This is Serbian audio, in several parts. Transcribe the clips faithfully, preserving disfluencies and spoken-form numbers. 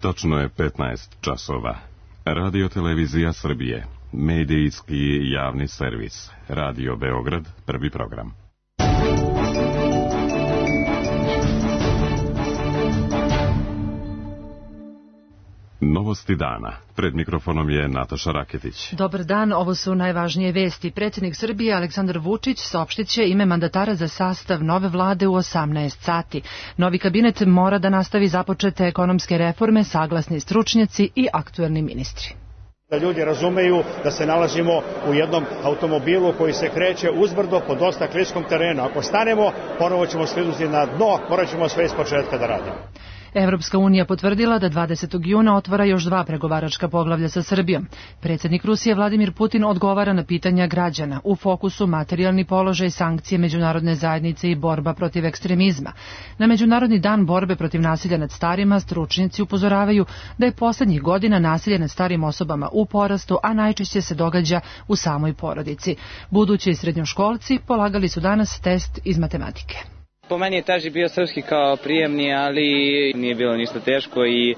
Tačno je petnaest časova. Radio Televizija Srbije, medijski javni servis. Radio Beograd, prvi program. Novosti dana. Pred mikrofonom je Nataša Raketić. Dobar dan, ovo su najvažnije vesti. Predsjednik Srbije Aleksandar Vučić saopštit će ime mandatara za sastav nove vlade u osamnaest sati. Novi kabinet mora da nastavi započete ekonomske reforme, saglasni stručnjaci i aktuelni ministri. Da ljudi razumeju da se nalazimo u jednom automobilu koji se kreće uzbrdo po dosta kliskom terenu. Ako stanemo, ponovo ćemo sklinuti na dno, morat ćemo sve iz početka da radimo. Evropska unija potvrdila da dvadesetog juna otvara još dva pregovaračka poglavlja sa Srbijom. Predsjednik Rusije Vladimir Putin odgovara na pitanja građana. U fokusu materijalni položaj, sankcije međunarodne zajednice i borba protiv ekstremizma. Na Međunarodni dan borbe protiv nasilja nad starima stručnjaci upozoravaju da je poslednjih godina nasilje nad starim osobama u porastu, a najčešće se događa u samoj porodici. Budući srednjoškolci polagali su danas test iz matematike. Po meni je teži bio srpski kao prijemni, ali nije bilo ništa teško i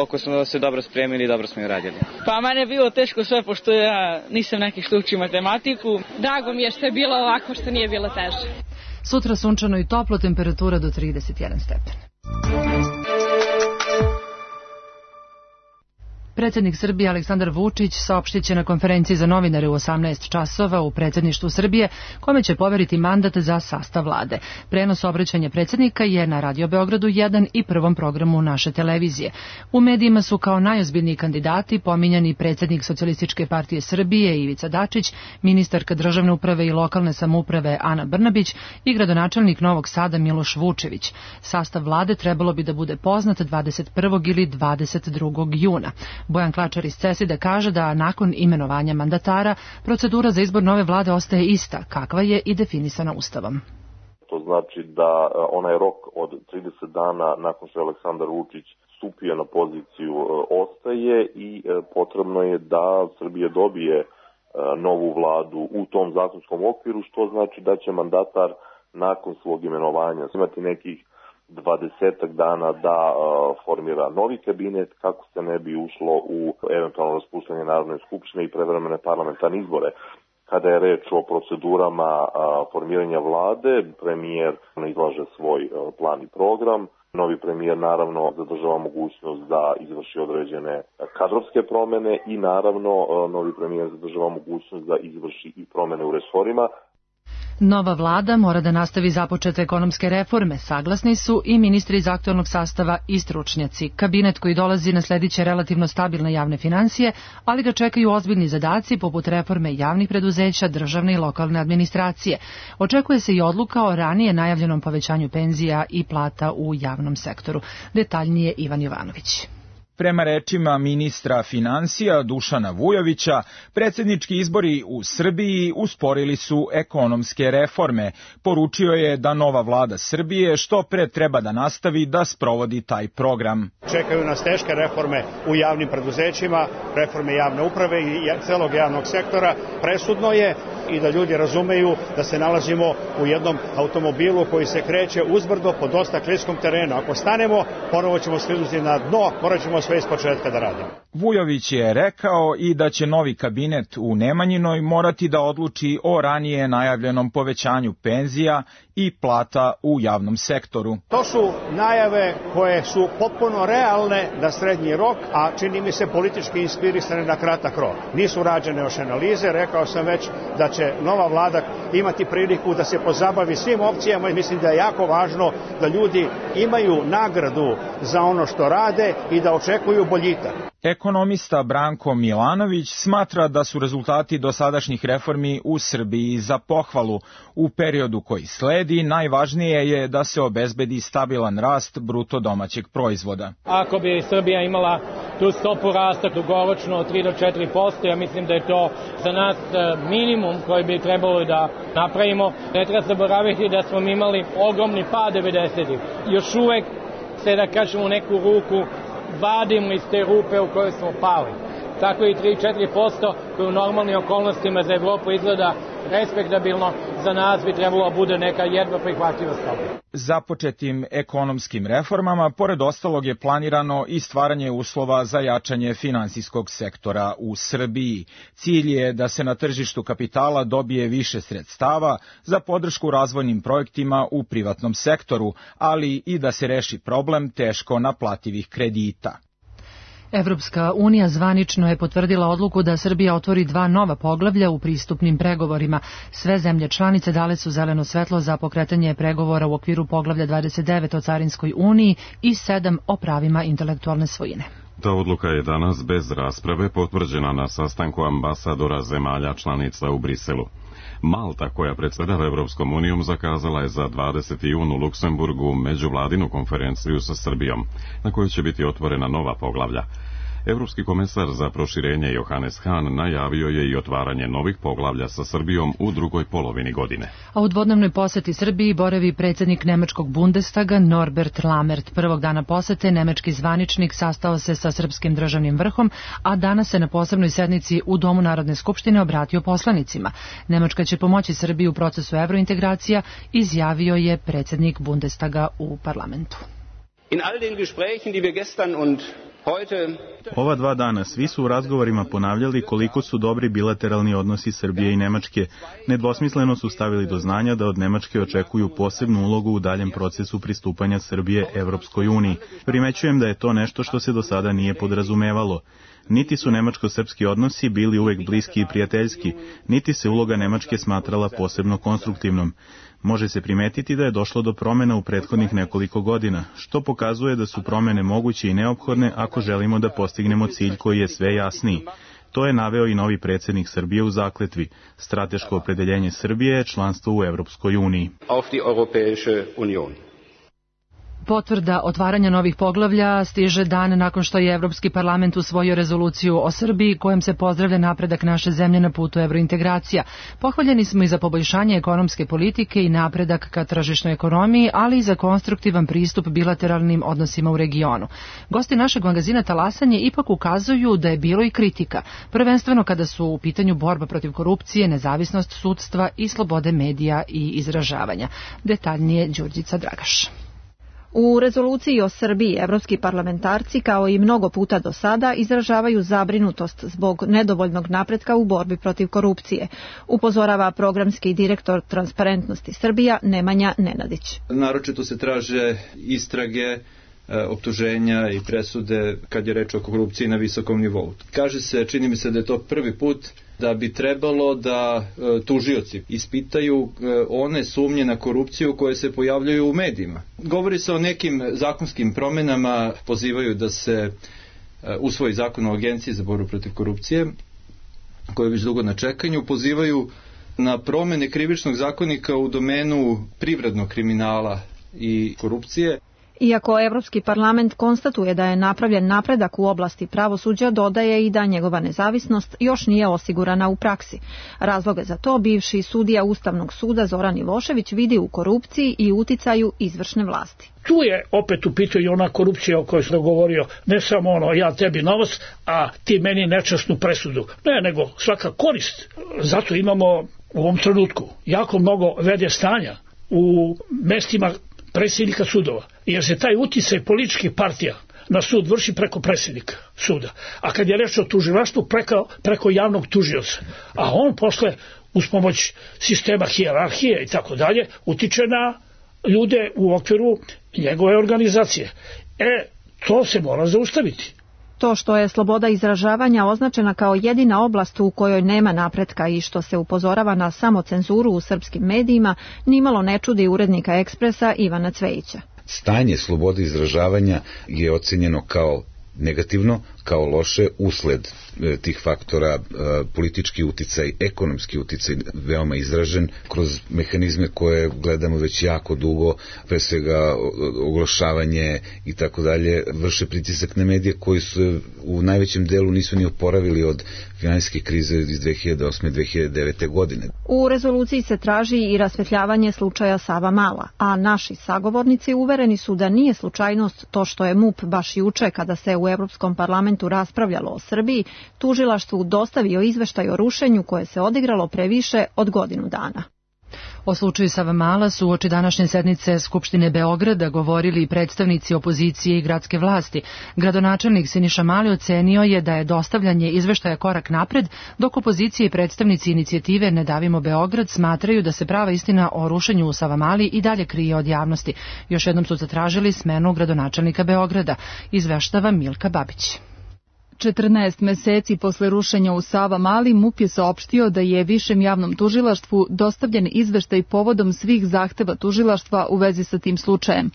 ako smo se dobro spremili, dobro smo i radili. Pa mene je bilo teško sve, pošto ja nisam neki što uči matematiku. Drago mi je što je bilo ovako, što nije bilo teže. Sutra sunčano i toplo, temperatura do trideset jedan stepen. Predsjednik Srbije Aleksandar Vučić saopštit će na konferenciji za novinare u osamnaest časova u predsjedništvu Srbije, kome će poveriti mandat za sastav vlade. Prenos obraćanja predsjednika je na Radio Beogradu jedan i prvom programu naše televizije. U medijima su kao najozbiljniji kandidati pominjani predsjednik Socijalističke partije Srbije Ivica Dačić, ministarka državne uprave i lokalne samouprave Ana Brnabić i gradonačelnik Novog Sada Miloš Vučević. Sastav vlade trebalo bi da bude poznat dvadeset prvog ili dvadeset drugog juna. Bojan Klačar iz Ceside kaže da nakon imenovanja mandatara procedura za izbor nove vlade ostaje ista, kakva je i definisana Ustavom. To znači da onaj rok od trideset dana nakon što je Aleksandar Vučić stupio na poziciju ostaje i potrebno je da Srbija dobije novu vladu u tom zakonskom okviru, što znači da će mandatar nakon svog imenovanja imati nekih dvadesetak dana da uh, formira novi kabinet kako se ne bi ušlo u eventualno raspuštanje Narodne skupštine i prevremene parlamentarne izbore. Kada je reč o procedurama uh, formiranja vlade, premijer izlaže svoj uh, plan i program. Novi premijer naravno zadržava mogućnost da izvrši određene kadrovske promene i naravno uh, novi premijer zadržava mogućnost da izvrši i promene u resorima. Nova vlada mora da nastavi započete ekonomske reforme, saglasni su i ministri iz aktualnog sastava i stručnjaci. Kabinet koji dolazi naslediće relativno stabilne javne financije, ali ga čekaju ozbiljni zadaci poput reforme javnih preduzeća, državne i lokalne administracije. Očekuje se i odluka o ranije najavljenom povećanju penzija i plata u javnom sektoru. Detaljnije Ivan Jovanović. Prema rečima ministra finansija Dušana Vujovića, predsjednički izbori u Srbiji usporili su ekonomske reforme. Poručio je da nova vlada Srbije što pre treba da nastavi da sprovodi taj program. Čekaju nas teške reforme u javnim preduzećima, reforme javne uprave i celog javnog sektora. Presudno je i da ljudi razumeju da se nalazimo u jednom automobilu koji se kreće uzbrdo po dosta kliskom terenu. Ako stanemo, ponovo ćemo sklinuti na dno, morat ćemo sve iz početka da radimo. Vujović je rekao i da će novi kabinet u Nemanjinoj morati da odluči o ranije najavljenom povećanju penzija i plata u javnom sektoru. To su najave koje su potpuno realne na srednji rok, a čini mi se politički inspirisane na kratak rok. Nisu rađene još analize, rekao sam već da će nova vlada imati priliku da se pozabavi svim opcijama i mislim da je jako važno da ljudi imaju nagradu za ono što rade i da očekuju boljitak. Ekonomista Branko Milanović smatra da su rezultati dosadašnjih reformi u Srbiji za pohvalu. U periodu koji sledi najvažnije je da se obezbedi stabilan rast bruto domaćeg proizvoda. Ako bi Srbija imala tu stopu rasta dugoročno od tri do četiri posto, ja mislim da je to za nas minimum koji bi trebalo da napravimo. Ne treba zaboraviti da smo imali ogromni pad devedesetih. Još uvek se, da kažemo, u neku ruku vadimo iz te rupe u kojoj smo pali. Tako i tri do četiri posto koji u normalnim okolnostima za Evropu izgleda respektabilno, za nas bi trebalo bude neka jedva prihvatljiva stopa. Započetim ekonomskim reformama, pored ostalog je planirano i stvaranje uslova za jačanje finansijskog sektora u Srbiji. Cilj je da se na tržištu kapitala dobije više sredstava za podršku razvojnim projektima u privatnom sektoru, ali i da se reši problem teško naplativih kredita. Evropska unija zvanično je potvrdila odluku da Srbija otvori dva nova poglavlja u pristupnim pregovorima. Sve zemlje članice dale su zeleno svetlo za pokretanje pregovora u okviru poglavlja dvadeset devet o Carinskoj uniji i sedam o pravima intelektualne svojine. Ta odluka je danas bez rasprave potvrđena na sastanku ambasadora zemalja članica u Briselu. Malta, koja predsjedava Evropskom unijom, zakazala je za dvadeseti jun u Luksemburgu međuvladinu konferenciju sa Srbijom, na kojoj će biti otvorena nova poglavlja. Evropski komesar za proširenje Johannes Hahn najavio je i otvaranje novih poglavlja sa Srbijom u drugoj polovini godine. A u dvodnevnoj poseti Srbiji boravi predsjednik nemačkog Bundestaga Norbert Lammert. Prvog dana posete nemački zvaničnik sastao se sa srpskim državnim vrhom, a danas se na posebnoj sednici u Domu Narodne skupštine obratio poslanicima. Nemačka će pomoći Srbiji u procesu evrointegracija, izjavio je predsjednik Bundestaga u parlamentu. In all den Gesprächen, die wir gestern und Ova dva dana svi su u razgovorima ponavljali koliko su dobri bilateralni odnosi Srbije i Nemačke. Nedvosmisleno su stavili do znanja da od Nemačke očekuju posebnu ulogu u daljem procesu pristupanja Srbije Evropskoj uniji. Primećujem da je to nešto što se do sada nije podrazumevalo. Niti su nemačko-srpski odnosi bili uvek bliski i prijateljski, niti se uloga Nemačke smatrala posebno konstruktivnom. Može se primetiti da je došlo do promjena u prethodnih nekoliko godina, što pokazuje da su promjene moguće i neophodne ako želimo da postignemo cilj koji je sve jasniji. To je naveo i novi predsjednik Srbije u zakletvi. Strateško opredeljenje Srbije je članstvo u Evropskoj uniji. Auf die Europäische Union. Potvrda otvaranja novih poglavlja stiže dan nakon što je Evropski parlament usvojio rezoluciju o Srbiji kojom se pozdravlja napredak naše zemlje na putu evrointegracija. Pohvaljeni smo i za poboljšanje ekonomske politike i napredak ka tržišnoj ekonomiji, ali i za konstruktivan pristup bilateralnim odnosima u regionu. Gosti našeg magazina Talasanje ipak ukazuju da je bilo i kritika, prvenstveno kada su u pitanju borba protiv korupcije, nezavisnost sudstva i slobode medija i izražavanja. Detaljnije Đurđica Dragaš. U rezoluciji o Srbiji evropski parlamentarci, kao i mnogo puta do sada, izražavaju zabrinutost zbog nedovoljnog napretka u borbi protiv korupcije, upozorava programski direktor Transparentnosti Srbija Nemanja Nenadić. Naročito se traže istrage, optuženja i presude kad je reč o korupciji na visokom nivou. Kaže se, čini mi se da je to prvi put da bi trebalo da e, tužioci ispitaju e, one sumnje na korupciju koje se pojavljaju u medijima. Govori se o nekim zakonskim promjenama, pozivaju da se e, usvoji zakon o agenciji za borbu protiv korupcije, koji je već dugo na čekanju, pozivaju na promjene krivičnog zakonika u domenu privrednog kriminala i korupcije. Iako Evropski parlament konstatuje da je napravljen napredak u oblasti pravosuđa, dodaje i da njegova nezavisnost još nije osigurana u praksi. Razloge za to bivši sudija Ustavnog suda Zoran Ivošević vidi u korupciji i uticaju izvršne vlasti. Tu je opet u pitanju ona korupcija o kojoj sam govorio, ne samo ono ja tebi novac, a ti meni nečasnu presudu. Ne, nego svaka korist. Zato imamo u ovom trenutku jako mnogo vede stanja u mestima predsjednika sudova, jer se taj uticaj političkih partija na sud vrši preko predsjednika suda. A kad je reč o tužilaštvu, preko, preko javnog tužioca. A on posle, uz pomoć sistema hijerarhije i tako dalje, utiče na ljude u okviru njegove organizacije. E, to se mora zaustaviti. To što je sloboda izražavanja označena kao jedina oblast u kojoj nema napretka i što se upozorava na samocenzuru u srpskim medijima, nimalo ne čudi urednika Ekspresa Ivana Cvejića. Stanje slobode izražavanja je ocenjeno kao negativno, kao loše usled e, tih faktora, e, politički uticaj, ekonomski uticaj veoma izražen kroz mehanizme koje gledamo već jako dugo, pre svega oglašavanje i tako dalje, vrše pritisak na medije koji su u najvećem delu nisu ni oporavili od finansijske krize iz dve hiljade osme dve hiljade devete. godine. U rezoluciji se traži i rasvetljavanje slučaja Savamala, a naši sagovornici uvereni su da nije slučajnost to što je M U P baš juče, kada se u Evropskom parlamentu parlamentu raspravljalo o Srbiji, tužilaštvu dostavio izveštaj o rušenju koje se odigralo pre više od godinu dana. O slučaju Savamala su uoči današnje sednice Skupštine Beograda govorili predstavnici opozicije i gradske vlasti. Gradonačelnik Siniša Mali ocenio je da je dostavljanje izveštaja korak napred, dok opozicije i predstavnici inicijative Ne davimo Beograd smatraju da se prava istina o rušenju u Savamali i dalje krije od javnosti. Još jednom su zatražili smenu gradonačelnika Beograda, izveštava Milka Babić. četrnaest meseci posle rušenja u Savamali, MUP je saopštio da je Višem javnom tužilaštvu dostavljen izveštaj povodom svih zahteva tužilaštva u vezi sa tim slučajem.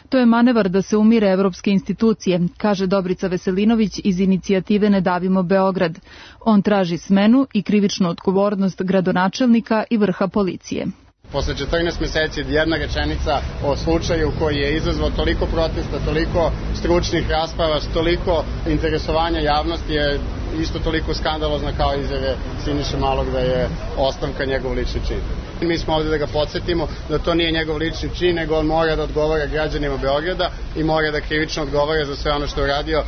To je manevar da se umire evropske institucije, kaže Dobrica Veselinović iz inicijative Ne davimo Beograd. On traži smenu i krivičnu odgovornost gradonačelnika i vrha policije. Posle četrnaest meseci jedna rečenica o slučaju koji je izazvao toliko protesta, toliko stručnih rasprava, toliko interesovanja javnosti je isto toliko skandalozna kao izjave Siniše Malog da je ostavka njegov lični čin. Mi smo ovde da ga podsjetimo da to nije njegov lični čin, nego on mora da odgovara građanima Beograda i mora da krivično odgovara za sve ono što je uradio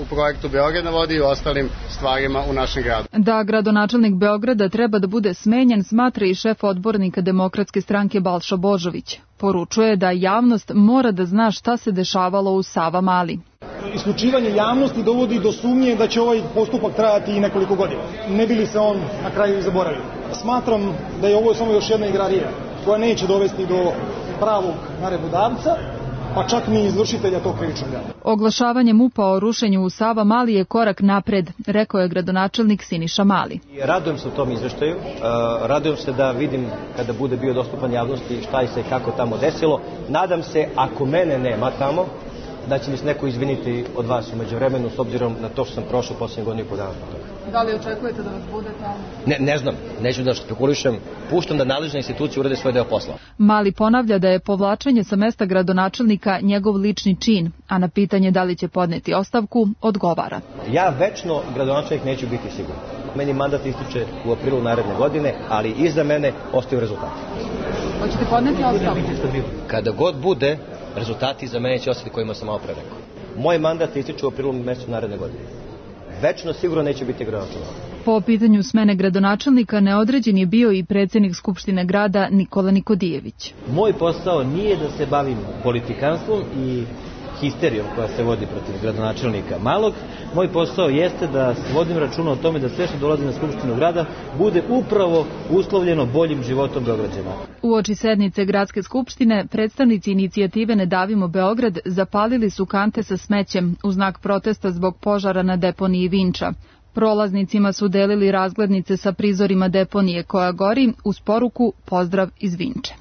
u projektu Beograd na vodi i u ostalim stvarima u našem gradu. Da gradonačelnik Beograda treba da bude smenjen, smatra i šef odbornika Demokratske stranke Balša Božović. Poručuje da javnost mora da zna šta se dešavalo u Savamali. Isključivanje javnosti dovodi do sumnje da će ovaj postupak trajati i nekoliko godina. Ne bi li se on na kraju zaboravio. Smatram da je ovo samo još jedna igrarija koja neće dovesti do pravog naredbodavca, pa čak ni izvršitelja tog krivičnog dela. Oglašavanje MUP-a o rušenju u Savamali je korak napred, rekao je gradonačelnik Siniša Mali. Radujem se u tom izveštaju, radujem se da vidim kada bude bio dostupan javnosti šta je se i kako tamo desilo. Nadam se, ako mene nema tamo, da će mi se neko izviniti od vas umeđu vremenu, s obzirom na to što sam prošao posljednje godine i po dana. Da li očekujete da vas bude tamo? Ne, ne znam, neću da špekulišem, puštam da nadležne institucije urade svoj deo posla. Mali ponavlja da je povlačenje sa mesta gradonačelnika njegov lični čin, a na pitanje da li će podneti ostavku, odgovara. Ja večno gradonačelnik neću biti siguran. Meni mandat ističe u aprilu naredne godine, ali iza mene ostaju rezultati. Hoćete podneti ostavku? Kada god bude, rezultati za mene će ostati kojima sam malo pre rekao. Moj mandat ističe u aprilu mesecu naredne godine. Večno sigurno neće biti gradonačelnik. Po pitanju smene gradonačelnika neodređen je bio i predsjednik Skupštine grada Nikola Nikodijević. Moj posao nije da se bavim politikanstvom i histerijom koja se vodi protiv gradonačelnika Malog. Moj posao jeste da vodim računa o tome da sve što dolazi na Skupštinu grada bude upravo uslovljeno boljim životom Beograđana. Uoči sednice Gradske skupštine, predstavnici inicijative Ne davimo Beograd zapalili su kante sa smećem u znak protesta zbog požara na deponiji Vinča. Prolaznicima su delili razglednice sa prizorima deponije koja gori uz poruku Pozdrav iz Vinče.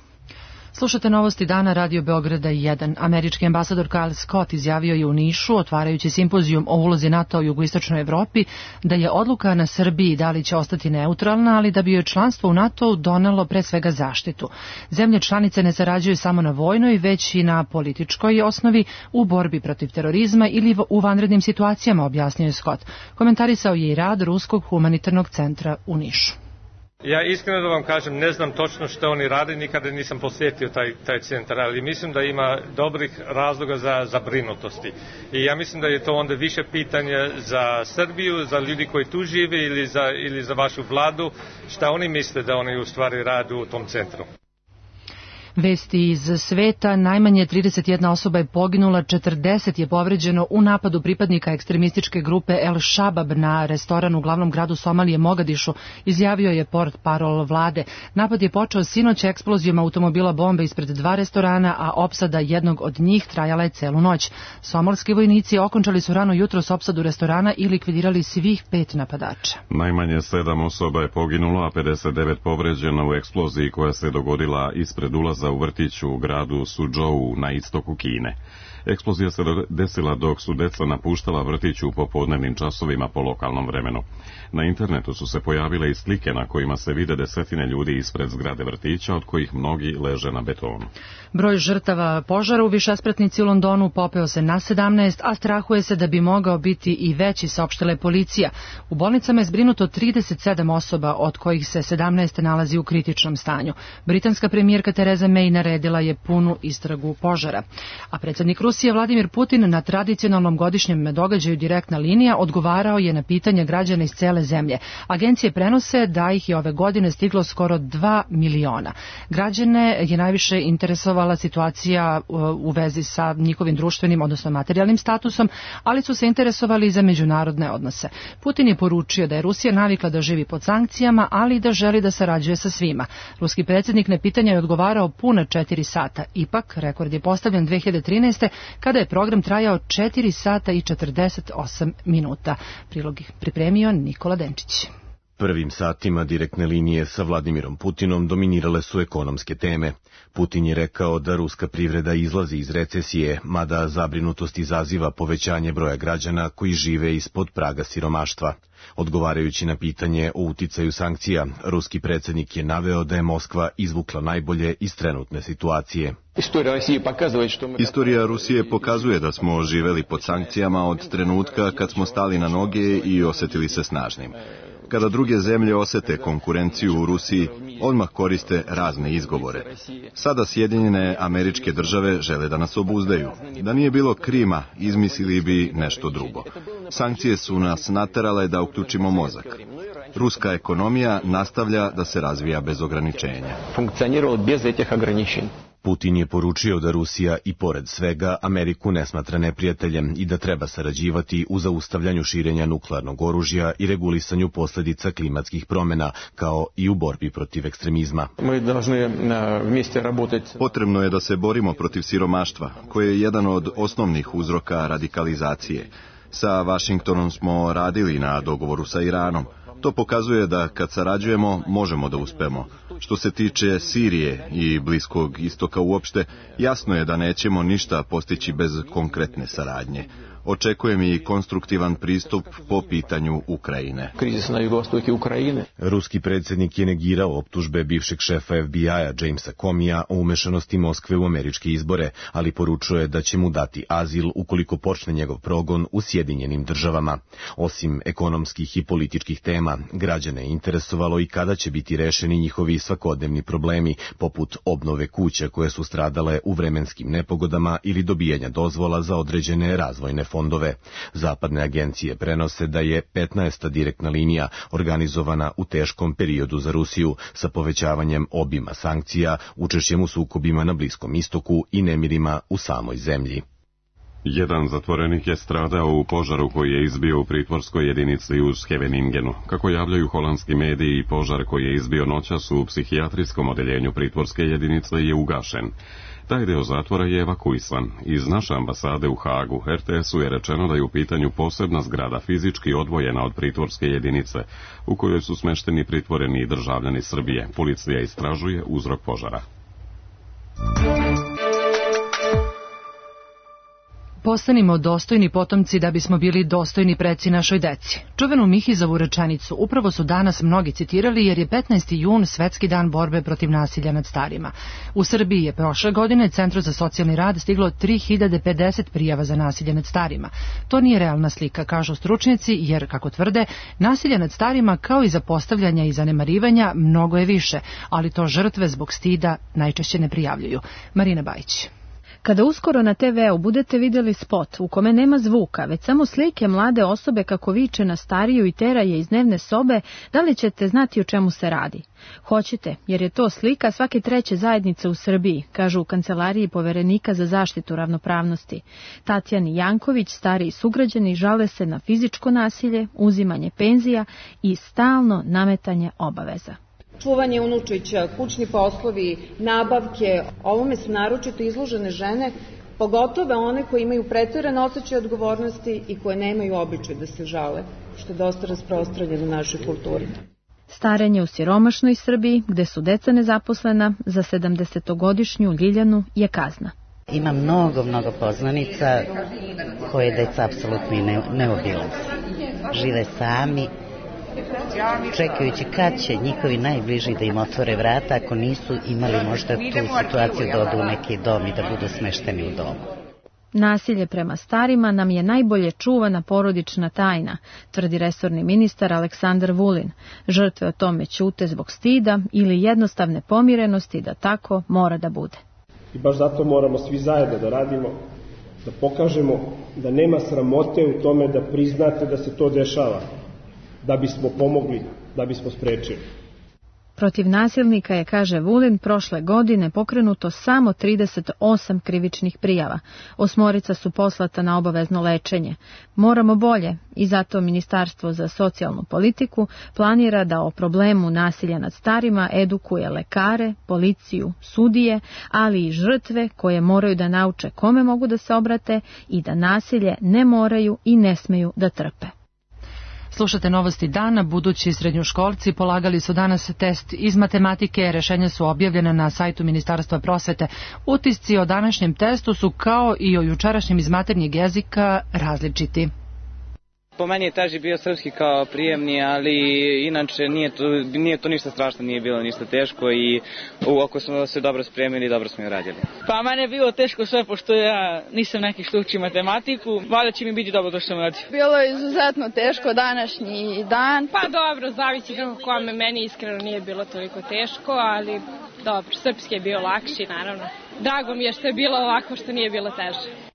Slušate novosti dana Radio Beograda jedan. Američki ambasador Kyle Scott izjavio je u Nišu, otvarajući simpozijum o ulozi NATO u jugoistočnoj Evropi, da je odluka na Srbiji da li će ostati neutralna, ali da bi joj članstvo u NATO donelo pre svega zaštitu. Zemlje članice ne sarađuju samo na vojnoj, već i na političkoj osnovi u borbi protiv terorizma ili u vanrednim situacijama, objasnio je Scott. Komentarisao je i rad Ruskog humanitarnog centra u Nišu. Ja iskreno da vam kažem, ne znam točno što oni rade, nikada nisam posjetio taj, taj centar, ali mislim da ima dobrih razloga za zabrinutosti. I ja mislim da je to onda više pitanje za Srbiju, za ljudi koji tu žive ili za, ili za vašu vladu, šta oni misle da oni u stvari rade u tom centru. Vesti iz sveta, najmanje trideset jedna osoba je poginula, četrdeset je povređeno u napadu pripadnika ekstremističke grupe El Shabab na restoran u glavnom gradu Somalije Mogadišu, izjavio je portparol vlade. Napad je počeo sinoć eksplozijom automobila bombe ispred dva restorana, a opsada jednog od njih trajala je celu noć. Somalski vojnici okončali su rano jutros opsadu restorana i likvidirali svih pet napadača. Najmanje sedam osoba je poginulo, a pedeset devet povređeno u eksploziji koja se dogodila ispred ulaza u vrtiću u gradu Suzhou na istoku Kine. Eksplozija se desila dok su deca napuštala vrtić u popodnevnim časovima po lokalnom vremenu. Na internetu su se pojavile i slike na kojima se vide desetine ljudi ispred zgrade vrtića, od kojih mnogi leže na betonu. Broj žrtava požara u višespratnici u Londonu popeo se na sedamnaest, a strahuje se da bi mogao biti i veći, saopštila je policija. U bolnicama je zbrinuto trideset sedam osoba, od kojih se sedamnaest nalazi u kritičnom stanju. Britanska premijerka Tereza teme i naredila je punu istragu požara. A predsjednik Rusije Vladimir Putin na tradicionalnom godišnjem događaju Direktna linija odgovarao je na pitanja građana iz cele zemlje. Agencije prenose da ih je ove godine stiglo skoro dva miliona. Građane je najviše interesovala situacija u vezi sa njihovim društvenim, odnosno materijalnim statusom, ali su se interesovali i za međunarodne odnose. Putin je poručio da je Rusija navikla da živi pod sankcijama, ali i da želi da sarađuje sa svima. Ruski predsjednik na pitanja je odgovarao puna četiri sata. Ipak, rekord je postavljen dve hiljade trinaeste. kada je program trajao četiri sata i četrdeset osam minuta. Prilog pripremio Nikola Denčić. Prvim satima Direktne linije sa Vladimirom Putinom dominirale su ekonomske teme. Putin je rekao da ruska privreda izlazi iz recesije, mada zabrinutost izaziva povećanje broja građana koji žive ispod praga siromaštva. Odgovarajući na pitanje o uticaju sankcija, ruski predsjednik je naveo da je Moskva izvukla najbolje iz trenutne situacije. Istorija Rusije pokazuje da smo živeli pod sankcijama od trenutka kad smo stali na noge i osjetili se snažnim. Kada druge zemlje osete konkurenciju u Rusiji, odmah koriste razne izgovore. Sada Sjedinjene Američke Države žele da nas obuzdaju. Da nije bilo Krima, izmislili bi nešto drugo. Sankcije su nas naterale da uključimo mozak. Ruska ekonomija nastavlja da se razvija bez ograničenja. Putin je poručio da Rusija i pored svega Ameriku ne smatra neprijateljem i da treba sarađivati u zaustavljanju širenja nuklearnog oružja i regulisanju posljedica klimatskih promjena, kao i u borbi protiv ekstremizma. Potrebno je da se borimo protiv siromaštva, koje je jedan od osnovnih uzroka radikalizacije. Sa Vašingtonom smo radili na dogovoru sa Iranom. To pokazuje da kad sarađujemo, možemo da uspemo. Što se tiče Sirije i Bliskog istoka uopšte, jasno je da nećemo ništa postići bez konkretne saradnje. Očekujem i konstruktivan pristup po pitanju Ukrajine. Ruski predsjednik je negirao optužbe bivšeg šefa F B I-a Jamesa Comeyja o umešanosti Moskve u američke izbore, ali poručuje da će mu dati azil ukoliko počne njegov progon u Sjedinjenim Državama. Osim ekonomskih i političkih tema, građane je interesovalo i kada će biti rešeni njihovi svakodnevni problemi, poput obnove kuća koje su stradale u vremenskim nepogodama ili dobijanja dozvola za određene razvojne fondove. Zapadne agencije prenose da je petnaesta direktna linija organizovana u teškom periodu za Rusiju sa povećavanjem obima sankcija, učešćem u sukobima na Bliskom istoku i nemirima u samoj zemlji. Jedan zatvorenik je stradao u požaru koji je izbio u pritvorskoj jedinici u Scheveningenu. Kako javljaju holandski mediji, požar koji je izbio noćas u psihijatrijskom odeljenju pritvorske jedinice je ugašen. Taj deo zatvora je evakuisan. Iz naše ambasade u Hagu R T S-u je rečeno da je u pitanju posebna zgrada fizički odvojena od pritvorske jedinice, u kojoj su smešteni pritvoreni državljani Srbije. Policija istražuje uzrok požara. Postanimo dostojni potomci da bismo bili dostojni preci našoj deci. Čuvenu Mihizovu rečenicu upravo su danas mnogi citirali jer je petnaesti jun Svetski dan borbe protiv nasilja nad starima. U Srbiji je prošle godine Centru za socijalni rad stiglo tri hiljade pedeset prijava za nasilje nad starima. To nije realna slika, kažu stručnjaci, jer, kako tvrde, nasilja nad starima kao i zapostavljanja i zanemarivanja mnogo je više, ali to žrtve zbog stida najčešće ne prijavljuju. Marina Bajić. Kada uskoro na te veu budete vidjeli spot u kome nema zvuka, već samo slike mlade osobe kako viče na stariju i tera je iz dnevne sobe, da li ćete znati o čemu se radi? Hoćete, jer je to slika svake treće zajednice u Srbiji, kažu u kancelariji poverenika za zaštitu ravnopravnosti. Tatjani Janković, stariji sugrađani, žale se na fizičko nasilje, uzimanje penzija i stalno nametanje obaveza. Čuvanje unučića, kućni poslovi, nabavke, ovome su naročito izložene žene, pogotovo one koje imaju preterane osjećaje odgovornosti i koje nemaju običaj da se žale, što je dosta rasprostranjeno u našoj kulturi. Starenje u siromašnoj Srbiji, gde su deca nezaposlena, za sedamdesetogodišnju Ljiljanu je kazna. Ima mnogo, mnogo poznanica koje deca apsolutno ne, ne obilaze. Žive sami, čekajući kad će njihovi najbliži da im otvore vrata, ako nisu imali možda tu situaciju da odu u neki dom i da budu smešteni u domu. Nasilje prema starima nam je najbolje čuvana porodična tajna, tvrdi resorni ministar Aleksandar Vulin. Žrtve o tome ćute zbog stida ili jednostavne pomirenosti da tako mora da bude. I baš zato moramo svi zajedno da radimo, da pokažemo da nema sramote u tome da priznate da se to dešava, da bismo pomogli, da bismo sprečili. Protiv nasilnika je, kaže Vulin, prošle godine pokrenuto samo trideset osam krivičnih prijava. Osmorica su poslata na obavezno lečenje. Moramo bolje i zato Ministarstvo za socijalnu politiku planira da o problemu nasilja nad starima edukuje lekare, policiju, sudije, ali i žrtve koje moraju da nauče kome mogu da se obrate i da nasilje ne moraju i ne smeju da trpe. Slušate Novosti dana. Budući srednjoškolci polagali su danas test iz matematike. Rešenja su objavljena na sajtu Ministarstva prosvete. Utisci o današnjem testu su kao i o jučerašnjem iz maternjeg jezika različiti. Po meni je teži bio srpski kao prijemni, ali inače nije to, nije to ništa strašno, nije bilo ništa teško i ako smo se dobro spremili, dobro smo i radili. Pa mene je bilo teško sve, pošto ja nisam neki što uči matematiku, valjda će mi biti dobro to što sam radio. Bilo je izuzetno teško današnji dan. Pa dobro, zavisi kako kome, meni iskreno nije bilo toliko teško, ali dobro, srpski je bio lakši naravno. Drago mi je što je bilo ovako, što nije bilo teže.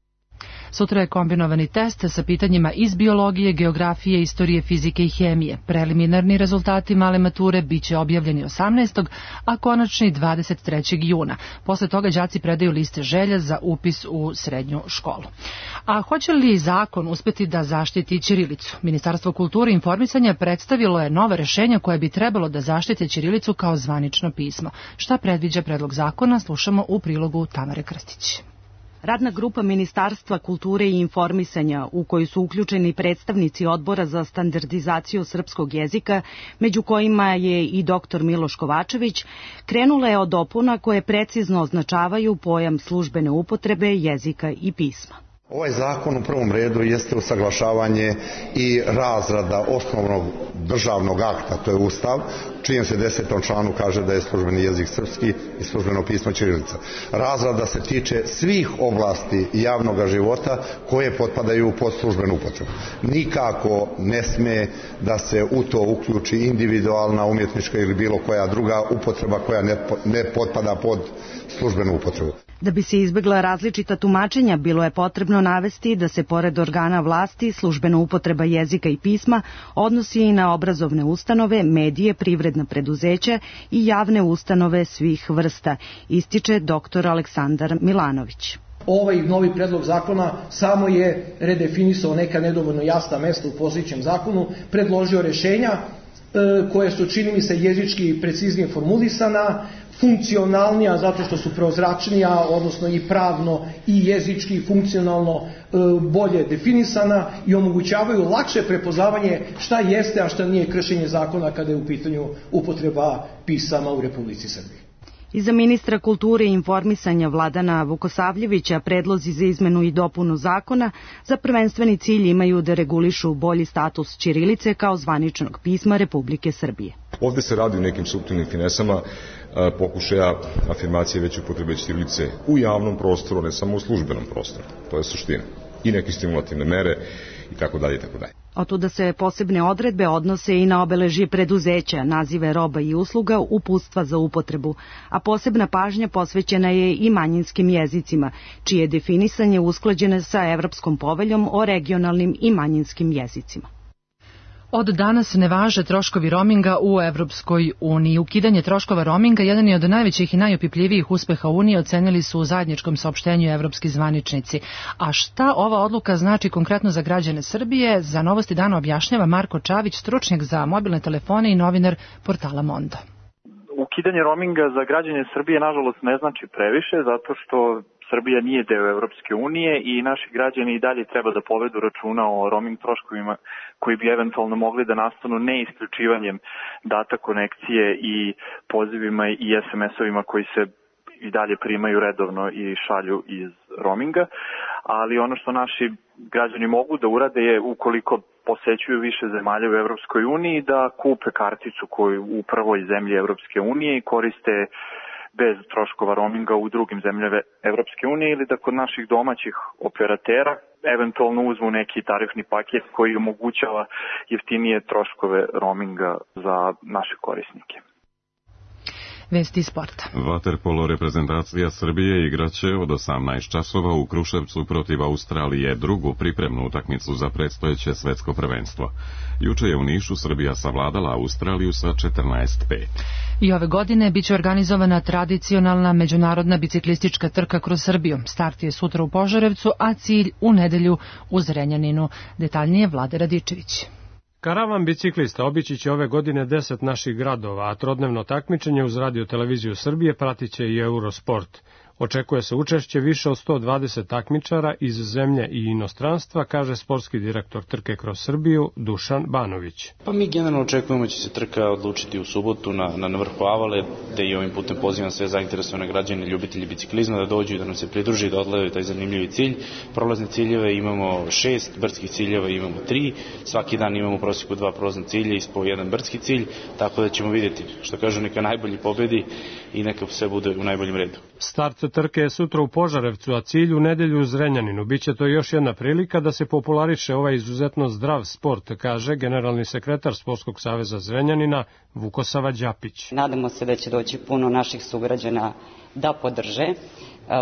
Sutra je kombinovani test sa pitanjima iz biologije, geografije, istorije, fizike i hemije. Preliminarni rezultati male mature biće objavljeni osamnaestog a konačni dvadeset trećeg juna. Posle toga đaci predaju liste želja za upis u srednju školu. A hoće li zakon uspeti da zaštiti ćirilicu? Ministarstvo kulture i informisanja predstavilo je nova rešenja koje bi trebalo da zaštite ćirilicu kao zvanično pismo. Šta predviđa predlog zakona, slušamo u prilogu Tamare Krstić. Radna grupa Ministarstva kulture i informisanja, u koju su uključeni predstavnici Odbora za standardizaciju srpskog jezika, među kojima je i doktor Miloš Kovačević, krenula je od dopuna koje precizno označavaju pojam službene upotrebe jezika i pisma. Ovaj zakon u prvom redu jeste usaglašavanje i razrada osnovnog državnog akta, to je Ustav, čijem se desetom članu kaže da je službeni jezik srpski i službeno pismo ćirilica. Razrada se tiče svih oblasti javnog života koje potpadaju pod službenu upotrebu. Nikako ne sme da se u to uključi individualna, umjetnička ili bilo koja druga upotreba koja ne, ne potpada pod službenu upotrebu. Da bi se izbegla različita tumačenja, bilo je potrebno navesti da se pored organa vlasti službena upotreba jezika i pisma odnosi i na obrazovne ustanove, medije, privredna preduzeća i javne ustanove svih vrsta, ističe doktor Aleksandar Milanović. Ovaj novi predlog zakona samo je redefinisao neka nedovoljno jasna mesta u postojećem zakonu, predložio rešenja koje su, čini mi se, jezički preciznije formulisana, funkcionalnija zato što su prozračnija, odnosno i pravno i jezički i funkcionalno bolje definisana i omogućavaju lakše prepoznavanje šta jeste, a šta nije kršenje zakona kada je u pitanju upotreba pisama u Republici Srbiji. Iza ministra kulture i informisanja Vladana Vukosavljevića predlozi za izmenu i dopunu zakona za prvenstveni cilj imaju da regulišu bolji status ćirilice kao zvaničnog pisma Republike Srbije. Ovde se radi o nekim suptilnim finesama pokušaja afirmacije veće upotrebe ćirilice u javnom prostoru, ne samo u službenom prostoru. To je suština. I neke stimulativne mere i tako dalje i tako dalje. Otuda se posebne odredbe odnose i na obeležje preduzeća, nazive roba i usluga, uputstva za upotrebu, a posebna pažnja posvećena je i manjinskim jezicima, čije definisanje usklađene sa Evropskom poveljom o regionalnim i manjinskim jezicima. Od danas ne važe troškovi roaminga u Evropskoj uniji. Ukidanje troškova roaminga jedan je od najvećih i najopipljivijih uspeha Unije, ocenili su u zajedničkom saopštenju evropski zvaničnici. A šta ova odluka znači konkretno za građane Srbije? Za Novosti dana objašnjava Marko Čavić, stručnjak za mobilne telefone i novinar portala Mondo. Ukidanje roaminga za građane Srbije nažalost ne znači previše, zato što Srbija nije deo Evropske unije i naši građani i dalje treba da povedu računa o roaming troškovima koji bi eventualno mogli da nastanu ne isključivanjem data konekcije i pozivima i es em esovima koji se i dalje primaju redovno i šalju iz roaminga, ali ono što naši građani mogu da urade je, ukoliko posećuju više zemalja u Evropskoj uniji, da kupe karticu koju u prvoj zemlji Evropske unije i koriste bez troškova roaminga u drugim zemljama Evropske unije ili da kod naših domaćih operatera eventualno uzmu neki tarifni paket koji omogućava jeftinije troškove roaminga za naše korisnike. Vesti sporta. Vaterpolo reprezentacija Srbije igraće od osamnaest časova u Kruševcu protiv Australije drugu pripremnu utakmicu za predstojeće svetsko prvenstvo. Juče je u Nišu Srbija savladala Australiju sa četrnaest pet. I ove godine biće organizovana tradicionalna međunarodna biciklistička trka kroz Srbiju. Start je sutra u Požarevcu, a cilj u nedelju u Zrenjaninu. Detaljnije Vlade Radičević. Karavan biciklista obići će ove godine deset naših gradova, a trodnevno takmičenje uz Radio Televiziju Srbije pratit će i Eurosport. Očekuje se učešće više od sto dvadeset takmičara iz zemlje i inostranstva, kaže sportski direktor trke kroz Srbiju Dušan Banović. Pa mi generalno očekujemo da će se trka odlučiti u subotu na, na vrhu Avale, te i ovim putem pozivam sve zainteresovane građane, ljubitelji biciklizma da dođu i da nam se pridruži, da odgledaju taj zanimljivi cilj. Prolazne ciljeve imamo šest, brdskih ciljeva imamo tri, svaki dan imamo u prosjeku dva prolazna cilja i po jedan brdski cilj, tako da ćemo vidjeti, što kažu, neka najbolji pobedi i neka sve bude u najboljem redu. Start trke je sutra u Požarevcu, a cilj u nedelju u Zrenjaninu. Biće to još jedna prilika da se populariše ovaj izuzetno zdrav sport, kaže generalni sekretar Sportskog saveza Zrenjanina Vukosava Đapić. Nadamo se da će doći puno naših sugrađana da podrže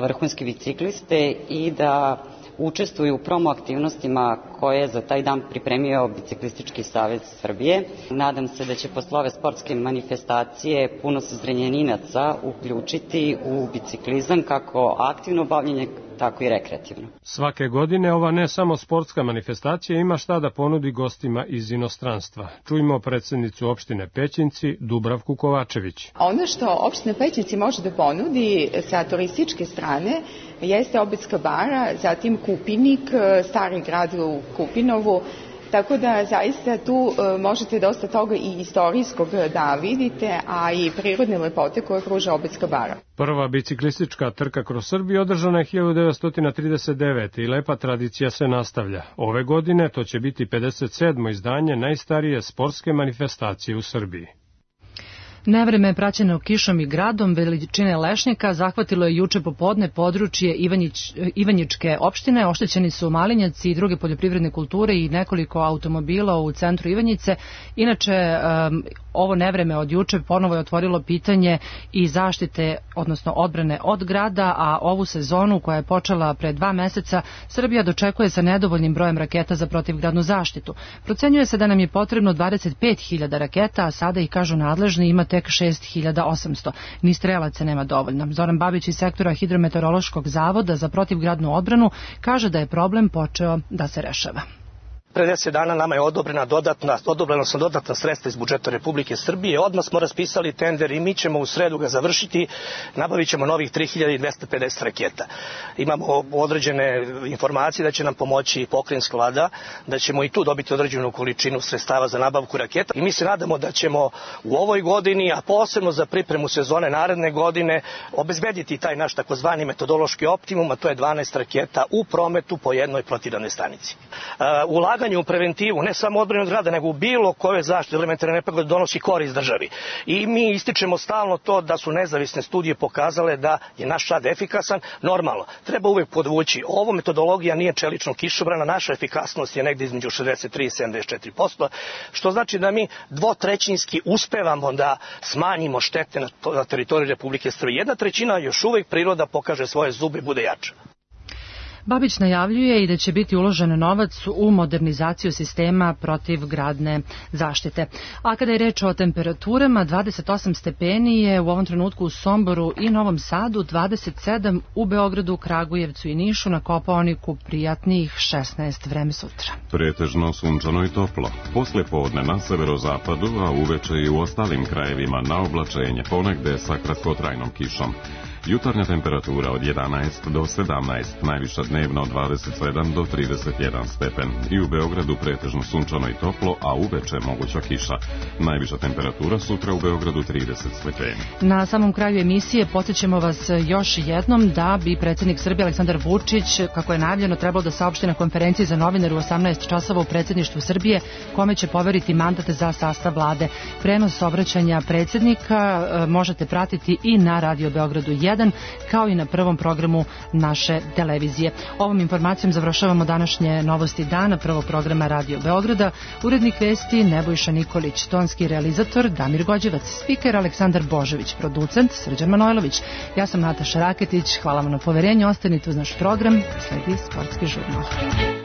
vrhunske bicikliste i da učestvuju u promo aktivnostima koje je za taj dan pripremio Biciklistički savez Srbije. Nadam se da će posle ove sportske manifestacije puno se Zrenjaninaca uključiti u biciklizam, kako aktivno bavljenje, tako i rekreativno. Svake godine ova ne samo sportska manifestacija ima šta da ponudi gostima iz inostranstva. Čujmo predsjednicu opštine Pećinci Dubravku Kovačević. Ono što opština Pećinci može da ponudi sa turističke strane jeste Obedska bara, zatim Kupinik, stari grad u Kupinovu, tako da zaista tu možete dosta toga i istorijskog da vidite, a i prirodne lepote koje pruža Obedska bara. Prva biciklistička trka kroz Srbiju održana je hiljadu devetsto trideset devete. i lepa tradicija se nastavlja. Ove godine to će biti pedeset sedmo izdanje najstarije sportske manifestacije u Srbiji. Nevreme praćeno kišom i gradom veličine lešnjaka zahvatilo je juče popodne područje Ivanjić, Ivanjičke opštine. Oštećeni su malinjaci i druge poljoprivredne kulture i nekoliko automobila u centru Ivanjice. Inače, um, ovo nevreme od juče ponovo je otvorilo pitanje i zaštite, odnosno odbrane od grada, a ovu sezonu koja je počela pre dva meseca Srbija dočekuje sa nedovoljnim brojem raketa za protivgradnu zaštitu. Procenjuje se da nam je potrebno dvadeset pet hiljada raketa, a sada ih, kažu nadležni, ima tek šest hiljada osamsto. Ni strelaca nema dovoljno. Zoran Babić iz sektora Hidrometeorološkog zavoda za protivgradnu odbranu kaže da je problem počeo da se rešava. Pre deset dana nama je odobrena dodatna, odobrena su dodatna sredstva iz budžeta Republike Srbije. Odmah smo raspisali tender i mi ćemo u sredu ga završiti. Nabavit ćemo novih tri hiljade dvesta pedeset raketa. Imamo određene informacije da će nam pomoći pokrajinska vlada, da ćemo i tu dobiti određenu količinu sredstava za nabavku raketa. I mi se nadamo da ćemo u ovoj godini, a posebno za pripremu sezone naredne godine, obezbediti taj naš takozvani metodološki optimum, a to je dvanaest raketa u prometu po jednoj protivgradnoj stanici. Uh, ulaganje u preventivu, ne samo odbrane od grada, nego u bilo koje zaštite elementarne nepogode donosi korist državi. I mi ističemo stalno to da su nezavisne studije pokazale da je naš rad efikasan. Normalno, treba uvek podvući, ovo metodologija nije čelično kišobrana, naša efikasnost je negde između šezdeset tri i sedamdeset četiri posto, što znači da mi dvotrećinski uspevamo da smanjimo štete na, na teritoriji Republike Srbije. Jedna trećina još uvek priroda pokaže svoje zube i bude jača. Babić najavljuje i da će biti uložen novac u modernizaciju sistema protivgradne zaštite. A kada je reč o temperaturama, dvadeset osam stepeni je u ovom trenutku u Somboru i Novom Sadu, dvadeset sedam u Beogradu, Kragujevcu i Nišu, na Kopaoniku prijatnih šesnaest. Vreme sutra. Pretežno sunčano i toplo. Posle podne na severozapadu, a uveče i u ostalim krajevima na oblačenje, ponegde sa kratkotrajnom kišom. Jutarnja temperatura od jedanaest do sedamnaest, najviša dnevna dnevno dvadeset sedam do trideset jedan stepen. I u Beogradu pretežno sunčano i toplo, a uveče moguća kiša. Najviša temperatura sutra u Beogradu trideset stepeni. Na samom kraju emisije podsjećamo vas još jednom da bi predsjednik Srbije Aleksandar Vučić, kako je najavljeno, trebao da saopšti na konferenciji za novinare u osamnaest časova u predsjedništvu Srbije, kome će poveriti mandat za sastav vlade. Prenos obraćanja predsjednika možete pratiti i na Radio Beogradu jedan, kao i na prvom programu naše televizije. Ovom informacijom završavamo današnje novosti dana prvog programa Radio Beograda. Urednik vesti Nebojša Nikolić, tonski realizator Damir Gođevac, spiker Aleksandar Božević, producent Srđan Manojlović. Ja sam Nataša Raketić, hvala vam na poverenju, ostanite uz naš program, sledi sportski žurnal.